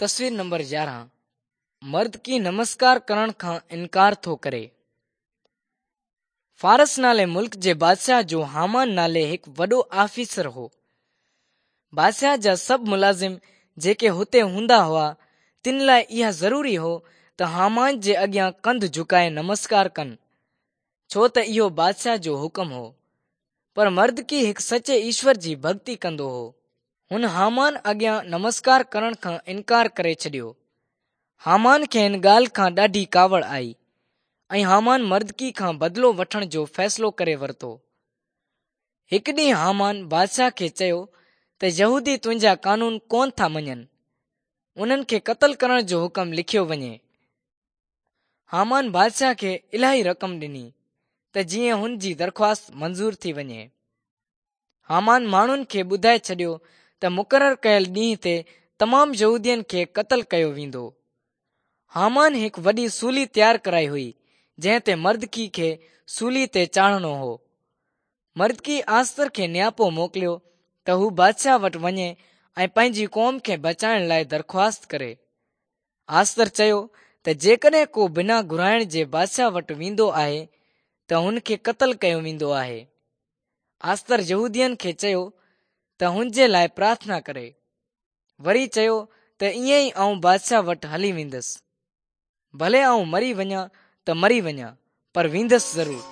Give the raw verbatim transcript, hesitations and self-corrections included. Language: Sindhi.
تصوير نمبر يارهن مردڪي نمسڪار ڪرڻ کان انڪار ٿو ڪري. فارس نالي ملڪ جي بادشاهه جو هامان نالي هڪ وڏو آفيسر هو. بادشاهه جا سڀ ملازم جيڪي هتي هوندا هئا، تن لاءِ اها ضروري هو ته هامان جي اڳيان ڪنڌ جهڪائي نمسڪار ڪن، ڇو ته اهو بادشاهه جو حڪم هو. پر مردڪي هڪ سچي ايشور جي ڀڳتي ڪندو هو. هن هامان اڳيان نمسڪار ڪرڻ کان انڪار ڪري ڇڏيو. هامان کي هن ڳالهه کان ڏاڍي ڪاوڙ آئي ۽ هامان مردڪي کان بدلو وٺڻ جو فيصلو ڪري ورتو. هڪ ڏينهن هامان بادشاهه کي چيو ته يهودي تنهنجا قانون ڪونه ٿا مڃن، انهن کي قتل ڪرڻ جو حڪم لکيو وڃي. هامان بادشاهه کي الاهي رقم ڏني ته جيئن هن جي درخواست منظور ٿي وڃي. هامان ماڻهن کي ٻڌائي ڇڏيو ته مقرر ڪيل ڏينهن تي تمام يهودين کي قتل ڪيو ويندو. هامان هڪ وڏي سولي تيار ڪرائي هئي، جنهن تي مردڪي کي سولي تي چاڙهڻو هو. مردڪي آستر کي نياپو موڪليو ته هو بادشاهه وٽ وڃي ۽ پنهنجي قوم کي بچائڻ لاءِ درخواست ڪري. آستر چيو ته جيڪڏهن ڪو بنا گهرائڻ جي بادشاهه وٽ ويندو آهي ته هن کي قتل ڪيو ويندو آهي. آستر يهودين کي چيو ته هن جي لاءِ پرارٿنا ڪري. وري چيو ته ائين ئي آئون بادشاهه وٽ هلي ويندس. ڀلي آئون مري وڃان ته مري وڃان، پر ويندس ضرور.